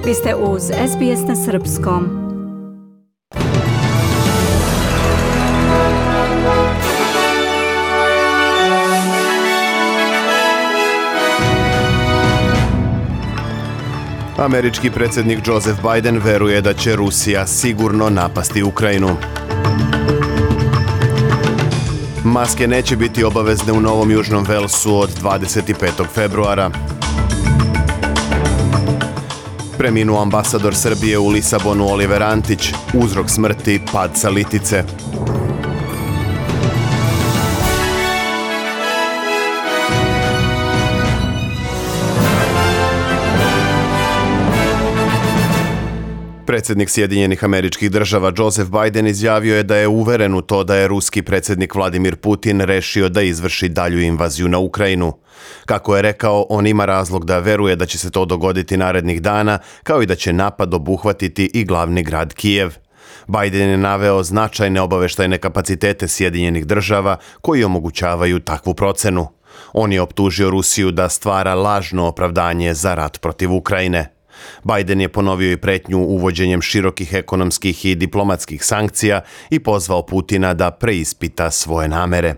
Vi ste uz SBS na srpskom. Američki predsjednik Joseph Biden veruje da će Rusija sigurno napasti Ukrajinu. Maske neće biti obavezne u Novom Južnom Velsu od 25. februara. Preminuo ambasador Srbije u Lisabonu Oliver Antić, uzrok smrti pad sa litice. Predsjednik Sjedinjenih Američkih Država Joseph Biden izjavio je da je uveren u to da je ruski predsjednik Vladimir Putin rešio da izvrši dalju invaziju na Ukrajinu. Kako je rekao, on ima razlog da veruje da će se to dogoditi narednih dana, kao i da će napad obuhvatiti i glavni grad Kijev. Biden je naveo značajne obaveštajne kapacitete Sjedinjenih Država koji omogućavaju takvu procenu. On je optužio Rusiju da stvara lažno opravdanje za rat protiv Ukrajine. Biden je ponovio i pretnju uvođenjem širokih ekonomskih i diplomatskih sankcija i pozvao Putina da preispita svoje namere.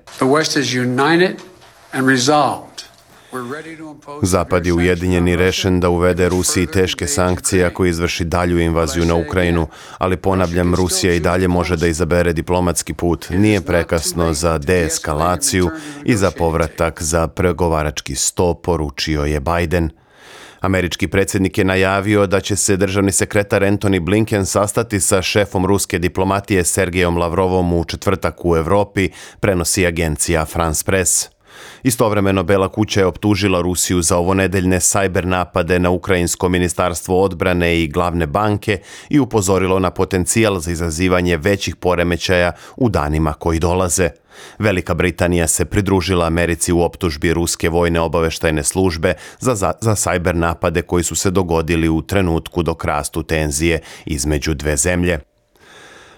Zapad je ujedinjen i rešen da uvede Rusiji teške sankcije ako izvrši dalju invaziju na Ukrajinu, ali ponavljam, Rusija i dalje može da izabere diplomatski put. Nije prekasno za deeskalaciju i za povratak za pregovarački sto, poručio je Biden. Američki predsjednik je najavio da će se državni sekretar Antony Blinken sastati sa šefom ruske diplomatije Sergejom Lavrovom u četvrtak u Europi, prenosi agencija France Press. Istovremeno Bela kuća je optužila Rusiju za ovonedeljne sajber napade na Ukrajinsko ministarstvo odbrane i glavne banke i upozorilo na potencijal za izazivanje većih poremećaja u danima koji dolaze. Velika Britanija se pridružila Americi u optužbi ruske vojne obaveštajne službe za sajber napade koji su se dogodili u trenutku dok rastu tenzije između dve zemlje.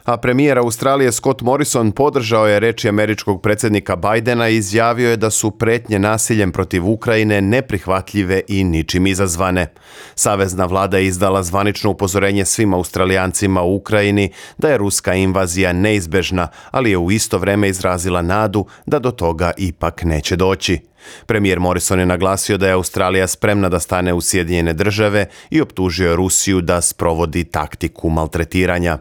A premijer Australije Scott Morrison podržao je reči američkog predsjednika Bidena i izjavio je da su pretnje nasiljem protiv Ukrajine neprihvatljive i ničim izazvane. Savezna vlada je izdala zvanično upozorenje svim Australijancima u Ukrajini da je ruska invazija neizbežna, ali je u isto vrijeme izrazila nadu da do toga ipak neće doći. Premijer Morrison je naglasio da je Australija spremna da stane u Sjedinjene Države i optužio je Rusiju da sprovodi taktiku maltretiranja.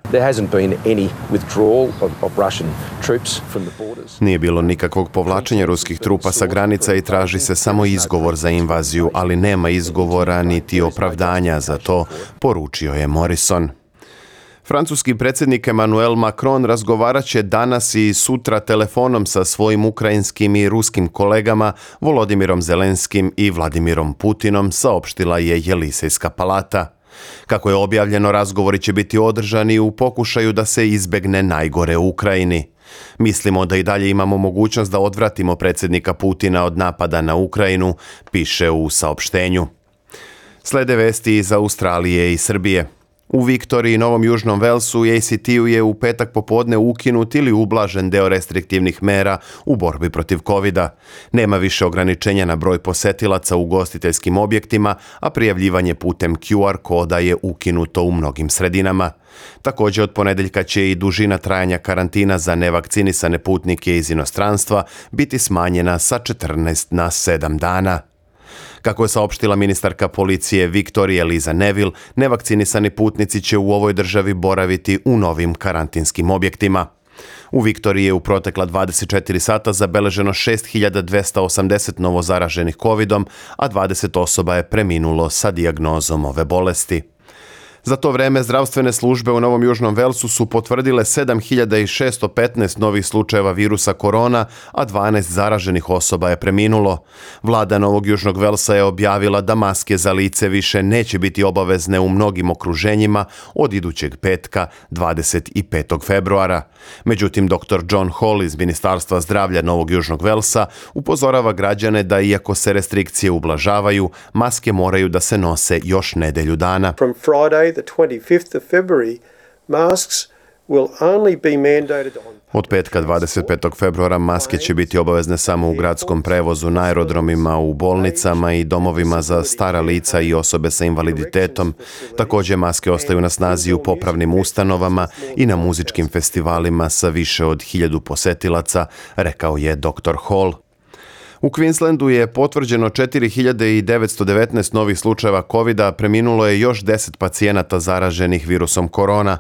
Nije bilo nikakvog povlačenja ruskih trupa sa granica i traži se samo izgovor za invaziju, ali nema izgovora niti opravdanja za to, poručio je Morrison. Francuski predsjednik Emmanuel Macron razgovarat će danas i sutra telefonom sa svojim ukrajinskim i ruskim kolegama Volodimirom Zelenskim i Vladimirom Putinom, saopštila je Jelisejska palata. Kako je objavljeno, razgovori će biti održani u pokušaju da se izbegne najgore u Ukrajini. Mislimo da i dalje imamo mogućnost da odvratimo predsjednika Putina od napada na Ukrajinu, piše u saopštenju. Slede vesti iz Australije i Srbije. U Viktoriji i Novom Južnom Velsu ACT-u je u petak popodne ukinut ili ublažen deo restriktivnih mera u borbi protiv covida. Nema više ograničenja na broj posetilaca u ugostiteljskim objektima, a prijavljivanje putem QR koda je ukinuto u mnogim sredinama. Također od ponedeljka će i dužina trajanja karantina za nevakcinisane putnike iz inostranstva biti smanjena sa 14 na 7 dana. Kako je saopštila ministarka policije Viktorije Liza Neville, nevakcinisani putnici će u ovoj državi boraviti u novim karantinskim objektima. U Viktoriji je u protekla 24 sata zabeleženo 6280 novozaraženih covidom, a 20 osoba je preminulo sa dijagnozom ove bolesti. Za to vreme zdravstvene službe u Novom Južnom Velsu su potvrdile 7615 novih slučajeva virusa korona, a 12 zaraženih osoba je preminulo. Vlada Novog Južnog Velsa je objavila da maske za lice više neće biti obavezne u mnogim okruženjima od idućeg petka 25. februara. Međutim, dr. John Hall iz Ministarstva zdravlja Novog Južnog Velsa upozorava građane da iako se restrikcije ublažavaju, maske moraju da se nose još nedelju dana. From Friday, the 25th of February, masks will only be mandated on Od petka 25. februara maske će biti obavezne samo u gradskom prevozu, na aerodromima, u bolnicama i domovima za stara lica i osobe sa invaliditetom. Također maske ostaju na snazi u popravnim ustanovama i na muzičkim festivalima sa više od 1000 posetilaca, rekao je dr. Hall. U Queenslandu je potvrđeno 4919 novih slučajeva COVID-a, preminulo je još 10 pacijenata zaraženih virusom korona.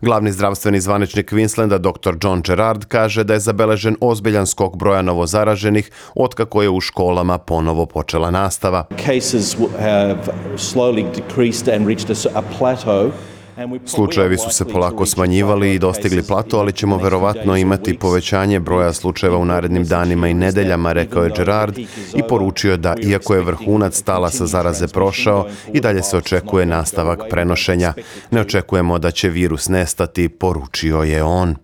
Glavni zdravstveni zvaničnik Queenslanda, dr. John Gerard, kaže da je zabeležen ozbiljan skok broja novozaraženih otkako je u školama ponovo počela nastava. Cases have slowly decreased and reached a plateau. Slučajevi su se polako smanjivali i dostigli plato, ali ćemo verovatno imati povećanje broja slučajeva u narednim danima i nedeljama, rekao je Gerard i poručio da, iako je vrhunac talasa zaraze prošao, i dalje se očekuje nastavak prenošenja. Ne očekujemo da će virus nestati, poručio je on.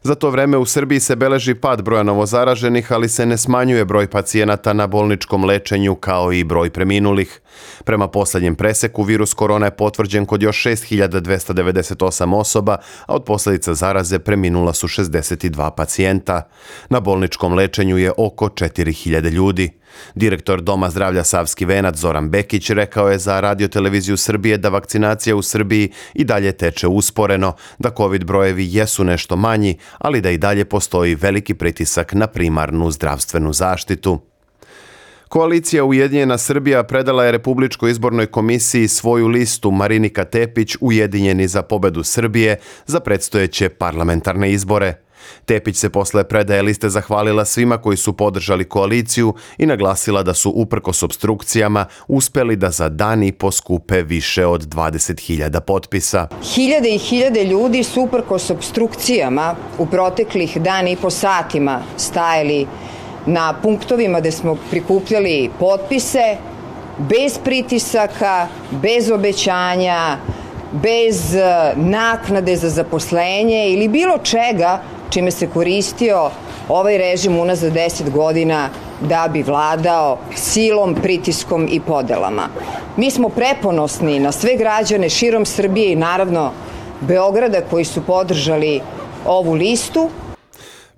Za to vreme u Srbiji se beleži pad broja novozaraženih, ali se ne smanjuje broj pacijenata na bolničkom lečenju kao i broj preminulih. Prema posljednjem preseku, virus korona je potvrđen kod još 6298 osoba, a od posljedica zaraze preminula su 62 pacijenta. Na bolničkom lečenju je oko 4000 ljudi. Direktor Doma zdravlja Savski Venac Zoran Bekić rekao je za Radio-televiziju Srbije da vakcinacija u Srbiji i dalje teče usporeno, da COVID brojevi jesu nešto manji, ali da i dalje postoji veliki pritisak na primarnu zdravstvenu zaštitu. Koalicija Ujedinjena Srbija predala je Republičkoj izbornoj komisiji svoju listu Marinika Tepić Ujedinjeni za pobedu Srbije za predstojeće parlamentarne izbore. Tepić se posle predaje liste zahvalila svima koji su podržali koaliciju i naglasila da su uprkos opstrukcijama uspeli da za dan i po skupe više od 20.000 potpisa. Hiljade i hiljade ljudi su uprkos opstrukcijama u proteklih dan i po satima stajali na punktovima gde smo prikupljali potpise, bez pritisaka, bez obećanja, bez naknade za zaposlenje ili bilo čega čime se koristio ovaj režim unazad 10 godina da bi vladao silom, pritiskom i podelama. Mi smo preponosni na sve građane širom Srbije i naravno Beograda koji su podržali ovu listu.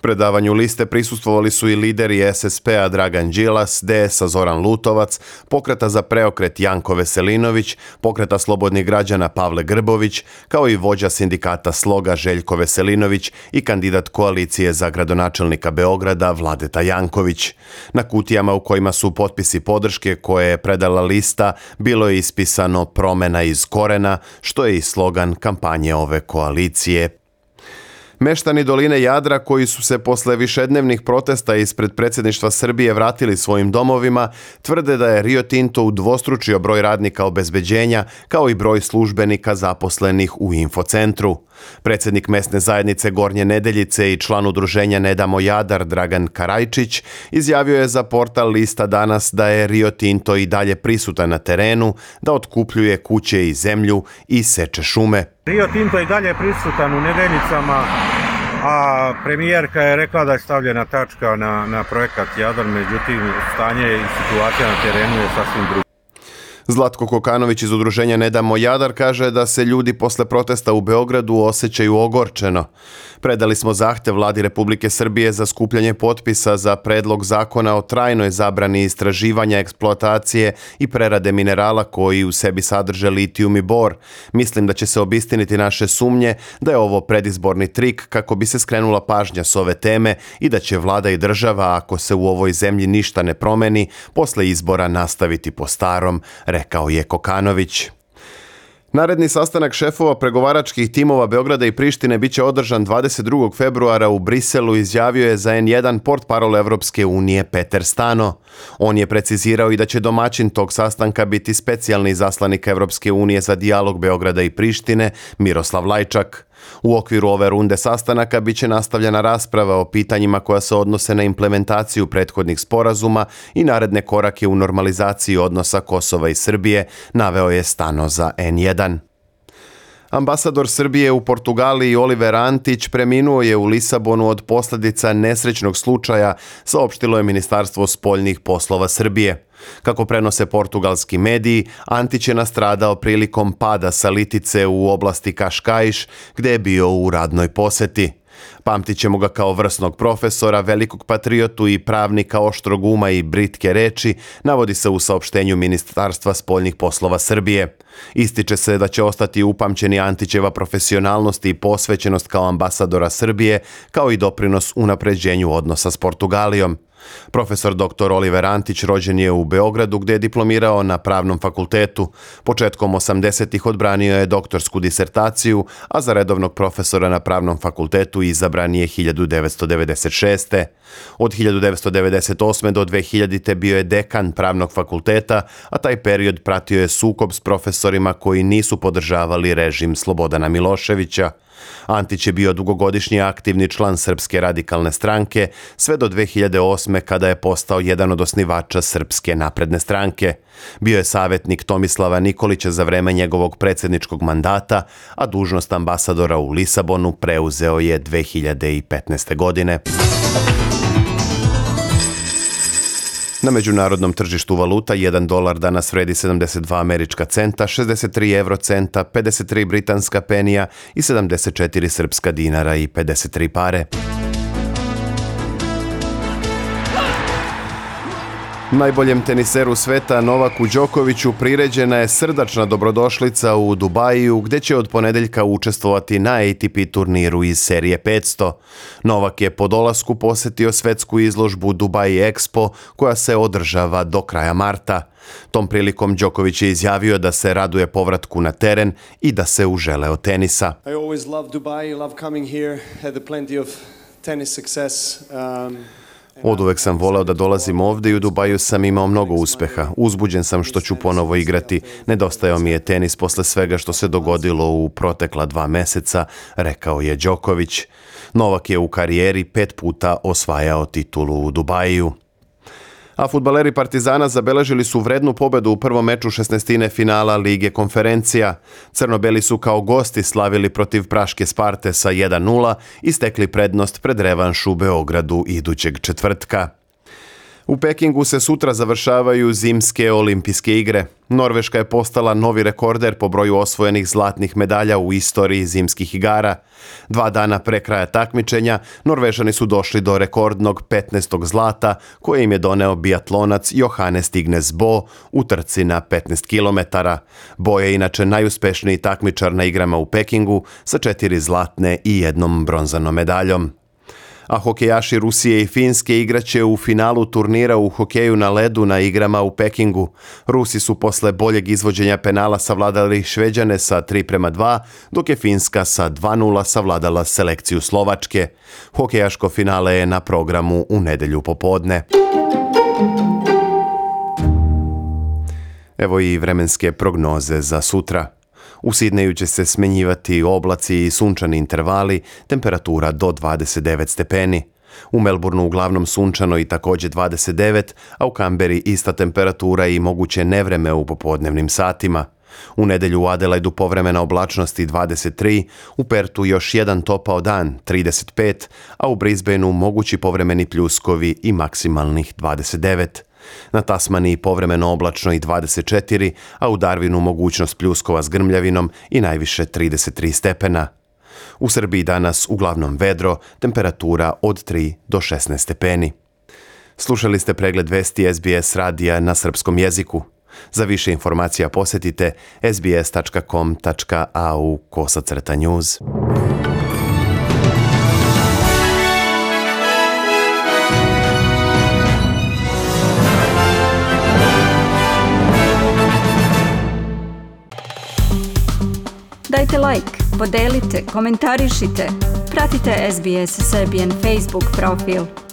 Predavanju liste prisustvovali su i lideri SSP-a Dragan Đilas, DS-a Zoran Lutovac, Pokreta za preokret Janko Veselinović, Pokreta slobodnih građana Pavle Grbović, kao i vođa sindikata Sloga Željko Veselinović i kandidat koalicije za gradonačelnika Beograda Vladeta Janković. Na kutijama u kojima su potpisi podrške koje je predala lista bilo je ispisano promena iz korena, što je i slogan kampanje ove koalicije. Meštani doline Jadra koji su se posle višednevnih protesta ispred predsjedništva Srbije vratili svojim domovima, tvrde da je Rio Tinto udvostručio broj radnika obezbeđenja kao i broj službenika zaposlenih u infocentru. Predsjednik mesne zajednice Gornje Nedeljice i član udruženja Ne damo Jadar Dragan Karajčić izjavio je za portal Lista danas da je Rio Tinto i dalje prisutan na terenu, da otkupljuje kuće i zemlju i seče šume. Rio Tinto je i dalje prisutan u Nedeljicama, a premijerka je rekla da je stavljena tačka na projekat Jadar, međutim stanje i situacija na terenu je sasvim druga. Zlatko Kokanović iz udruženja Ne damo Jadar kaže da se ljudi posle protesta u Beogradu osjećaju ogorčeno. Predali smo zahtev Vladi Republike Srbije za skupljanje potpisa za predlog zakona o trajnoj zabrani istraživanja, eksploatacije i prerade minerala koji u sebi sadrže litijum i bor. Mislim da će se obistiniti naše sumnje da je ovo predizborni trik kako bi se skrenula pažnja s ove teme i da će vlada i država, ako se u ovoj zemlji ništa ne promeni, posle izbora nastaviti po starom, rekao je Kokanović. Naredni sastanak šefova pregovaračkih timova Beograda i Prištine biće održan 22. februara u Briselu, izjavio je za N1 portparol Evropske unije Peter Stano. On je precizirao i da će domaćin tog sastanka biti specijalni izaslanik Evropske unije za dijalog Beograda i Prištine Miroslav Lajčak. U okviru ove runde sastanaka biće nastavljena rasprava o pitanjima koja se odnose na implementaciju prethodnih sporazuma i naredne korake u normalizaciji odnosa Kosova i Srbije, naveo je Stano za N1. Ambasador Srbije u Portugaliji Oliver Antić preminuo je u Lisabonu od posljedica nesrećnog slučaja, saopštilo je Ministarstvo spoljnih poslova Srbije. Kako prenose portugalski mediji, Antić je nastradao prilikom pada sa litice u oblasti Kaškaiš, gdje je bio u radnoj poseti. Pamtit ćemo ga kao vrsnog profesora, velikog patriotu i pravnika oštrog uma i britke reči, navodi se u saopštenju Ministarstva spoljnih poslova Srbije. Ističe se da će ostati upamćeni Antićeva profesionalnost i posvećenost kao ambasadora Srbije, kao i doprinos unapređenju odnosa s Portugalijom. Profesor dr. Oliver Antić rođen je u Beogradu, gdje je diplomirao na Pravnom fakultetu. Početkom 80-ih odbranio je doktorsku disertaciju, a za redovnog profesora na Pravnom fakultetu izabran je 1996. Od 1998. do 2000. bio je dekan Pravnog fakulteta, a taj period pratio je sukob s profesorima koji nisu podržavali režim Slobodana Miloševića. Antić je bio dugogodišnji aktivni član Srpske radikalne stranke, sve do 2008. kada je postao jedan od osnivača Srpske napredne stranke. Bio je savjetnik Tomislava Nikolića za vreme njegovog predsjedničkog mandata, a dužnost ambasadora u Lisabonu preuzeo je 2015. godine. Na međunarodnom tržištu valuta $1 danas vredi 72 američka centa, 63 eurocenta, 53 britanska penija i 74 srpska dinara i 53 pare. Najboljem teniseru sveta Novaku Đokoviću priređena je srdačna dobrodošlica u Dubaju, gdje će od ponedeljka učestvovati na ATP turniru iz serije 500. Novak je po dolasku posjetio svetsku izložbu Dubai Expo, koja se održava do kraja marta. Tom prilikom Đoković je izjavio da se raduje povratku na teren i da se uželeo tenisa. I always love Dubai, love coming here, had plenty of tennis success. Oduvek sam voleo da dolazim ovdje i u Dubaju sam imao mnogo uspeha. Uzbuđen sam što ću ponovo igrati. Nedostajao mi je tenis posle svega što se dogodilo u protekla 2 meseca, rekao je Đoković. Novak je u karijeri 5 puta osvajao titulu u Dubaju. A fudbaleri Partizana zabeležili su vrednu pobedu u prvom meču 16. finala Lige konferencija. Crnobeli su kao gosti slavili protiv Praške Sparte sa 1:0 i stekli prednost pred revanš u Beogradu idućeg četvrtka. U Pekingu se sutra završavaju zimske olimpijske igre. Norveška je postala novi rekorder po broju osvojenih zlatnih medalja u istoriji zimskih igara. 2 dana pre kraja takmičenja Norvežani su došli do rekordnog 15. zlata koje im je doneo biatlonac Johannes Tignes Bo u trci na 15 km. Bo je inače najuspešniji takmičar na igrama u Pekingu sa 4 zlatne i 1 bronzanom medaljom. A hokejaši Rusije i Finske igraće u finalu turnira u hokeju na ledu na igrama u Pekingu. Rusi su posle boljeg izvođenja penala savladali Šveđane sa 3:2, dok je Finska sa 2:0 savladala selekciju Slovačke. Hokejaško finale je na programu u nedjelju popodne. Evo i vremenske prognoze za sutra. U Sidneju će se smenjivati oblaci i sunčani intervali, temperatura do 29 stepeni. U Melbourneu uglavnom sunčano i također 29, a u Kamberi ista temperatura i moguće nevreme u popodnevnim satima. U nedjelju u Adelaidu povremena oblačnost i 23, u Pertu još jedan topao dan, 35, a u Brisbaneu mogući povremeni pljuskovi i maksimalnih 29. Na Tasmaniji povremeno oblačno i 24, a u Darwinu mogućnost pljuskova s grmljavinom i najviše 33 stepena. U Srbiji danas uglavnom vedro, temperatura od 3 do 16 stepeni. Slušali ste pregled vesti SBS radija na srpskom jeziku. Za više informacija posjetite sbs.com.au/news. Dajte like, podelite, komentarišite. Pratite SBS Serbian Facebook profil.